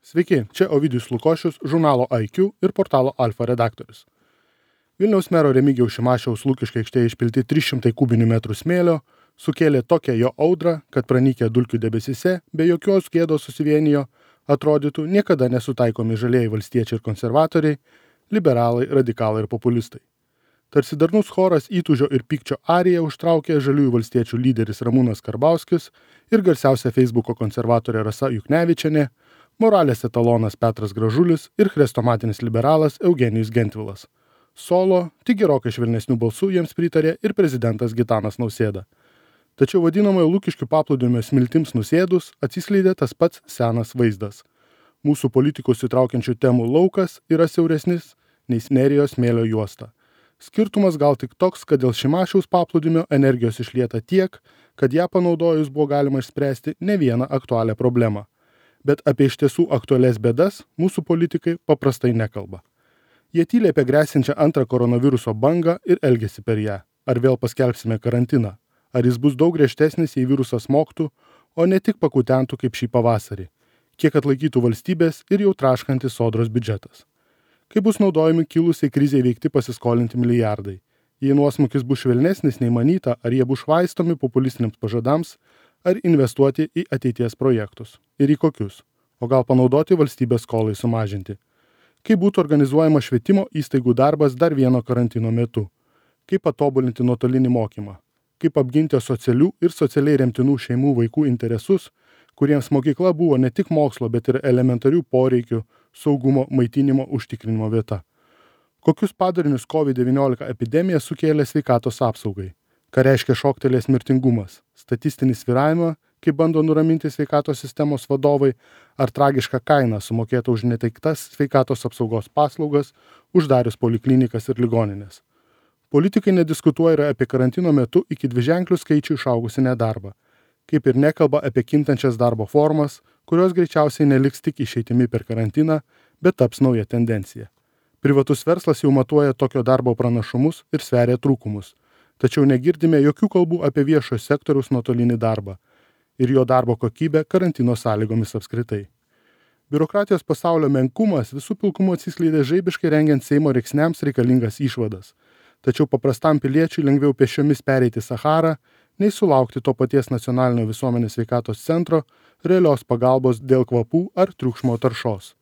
Sveiki, čia Ovidijus Lukošius, žurnalo IQ ir portalo Alfa redaktorius. Vilniaus mero Remigijaus Šimašiaus Lukiškių aikštėje išpilti 300 kubinių metrų smėlio sukėlė tokią jo audrą, kad pranykę dulkių debesyse be jokios gėdos susivienijo, atrodytų niekada nesutaikomi žalieji valstiečiai ir konservatoriai, liberalai, radikalai ir populistai. Tarsi darnus choras įtūžio ir pykčio ariją užtraukė žaliųjų valstiečių lyderis Ramūnas Karbauskis ir garsiausia Facebooko konservatorė Rasa Juknevičienė, moralės etalonas Petras Gražulis ir chrestomatinis liberalas Eugenijus Gentvilas. Solo, tik gerokai švelnesnių balsų jiems pritarė ir prezidentas Gitanas Nausėda. Tačiau vadinamojo Lukiškių paplūdimio smiltims nusėdus atsiskleidė tas pats senas vaizdas. Mūsų politikos įtraukiančių temų laukas yra siauresnis nei Nerijos smėlio juosta. Skirtumas gal tik toks, kad dėl Šimašiaus paplūdimio energijos išlieta tiek, kad ją panaudojus buvo galima išspręsti ne vieną aktualią problemą. Bet apie iš tiesų aktualias bėdas mūsų politikai paprastai nekalba. Jie tyli apie grėsinčią antrą koronaviruso bangą ir elgiasi per ją. Ar vėl paskelbsime karantiną? Ar jis bus daug griežtesnis, jei virusas smogtų, o ne tik pakutentų kaip šį pavasarį? Kiek atlaikytų valstybės ir jau traškantis sodros biudžetas? Kaip bus naudojami kilusiai krizei veikti pasiskolinti milijardai? Jei nuosmukis bus švelnesnis nei manyta, ar jie bus švaistomi populistiniams pažadams, ar investuoti į ateities projektus? Ir į kokius? O gal panaudoti valstybės skolai sumažinti? Kaip būtų organizuojama švietimo įstaigų darbas dar vieno karantino metu? Kaip patobulinti nuotolinį mokymą? Kaip apginti socialių ir socialiai remtinų šeimų vaikų interesus, kuriems mokykla buvo ne tik mokslo, bet ir elementarių poreikių, saugumo, maitinimo, užtikrinimo vieta? Kokius padarinius COVID-19 epidemija sukėlė sveikatos apsaugai? Ką reiškia šoktelės mirtingumas? Statistinį svyravimą, kaip bando nuraminti sveikatos sistemos vadovai, ar tragišką kainą sumokėtą už neteiktas sveikatos apsaugos paslaugas, uždarius poliklinikas ir ligoninės? Politikai nediskutuoja ir apie karantino metu iki dviženklių skaičių išaugusi nedarbą, kaip ir nekalba apie kintančias darbo formas, kurios greičiausiai neliks tik išeitimi per karantiną, bet taps nauja tendencija. Privatus verslas jau matuoja tokio darbo pranašumus ir sveria trūkumus, tačiau negirdime jokių kalbų apie viešojo sektoriaus nuotolinį darbą ir jo darbo kokybę karantino sąlygomis apskritai. Biurokratijos pasaulio menkumas visų pilkumo atsiskleidė žaibiškai rengiant Seimo reiksniams reikalingas išvadas, tačiau paprastam piliečiui lengviau pėsčiomis pereiti Saharą, nei sulaukti to paties nacionalinio visuomenės sveikatos centro realios pagalbos dėl kvapų ar triukšmo taršos.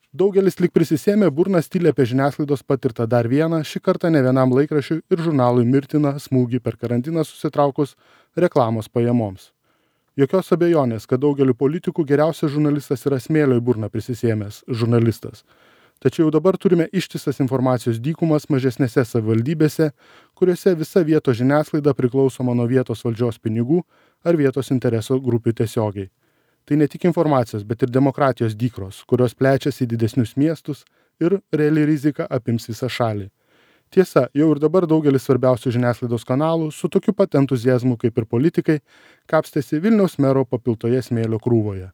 Daugelis lyg prisisėmė burnas tylė apie žiniasklaidos patirtą dar vieną, šį kartą ne vienam laikraščiui ir žurnalui mirtiną smūgį per karantiną susitraukus reklamos pajamoms. Jokios abejonės, kad daugeliu politikų geriausias žurnalistas yra smėlio į burną prisisėmęs žurnalistas. Tačiau jau dabar turime ištisas informacijos dykumas mažesnėse savivaldybėse, kuriuose visa vietos žiniasklaida priklausoma nuo vietos valdžios pinigų ar vietos interesų grupių tiesiogiai. Tai ne tik informacijos, bet ir demokratijos dykros, kurios plečiasi į didesnius miestus ir reali rizika apims visą šalį. Tiesa, jau ir dabar daugelis svarbiausių žiniasklaidos kanalų su tokiu pat entuziazmu kaip ir politikai kapstėsi Vilniaus mero papiltoje smėlio krūvoje.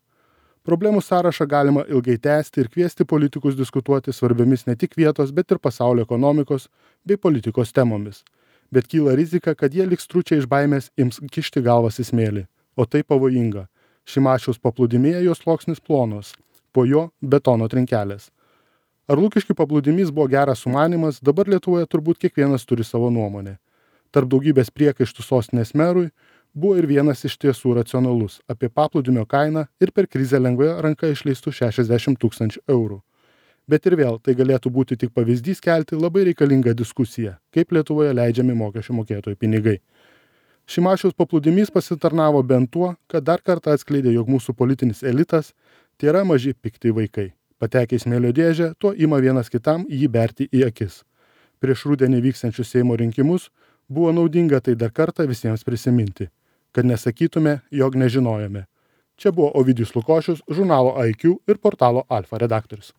Problemų sąrašą galima ilgai tęsti ir kviesti politikus diskutuoti svarbiomis ne tik vietos, bet ir pasaulio ekonomikos bei politikos temomis. Bet kyla rizika, kad jie liks stručiai iš baimės ims kišti galvas į smėlį. O tai pavojinga. Šimašiaus paplūdimyje jos sluoksnis plonos, po jo betono trinkelės. Ar Lukiškių paplūdimys buvo geras sumanymas, dabar Lietuvoje turbūt kiekvienas turi savo nuomonę. Tarp daugybės priekaištų sostinės merui buvo ir vienas iš tiesų racionalus apie paplūdimio kainą ir per krizę lengvai ranka išleistų 60 000 eurų. Bet ir vėl tai galėtų būti tik pavyzdys kelti labai reikalingą diskusiją, kaip Lietuvoje leidžiami mokesčių mokėtojų pinigai. Šimašiaus paplūdimys pasitarnavo bent tuo, kad dar kartą atskleidė, jog mūsų politinis elitas tai yra maži pikti vaikai. Patekę į smėlio dėžę, tuo ima vienas kitam jį berti į akis. Prieš rudenį vykstančius Seimo rinkimus buvo naudinga tai dar kartą visiems prisiminti, kad nesakytume, jog nežinojome. Čia buvo Ovidijus Lukošius, žurnalo IQ ir portalo Alfa redaktorius.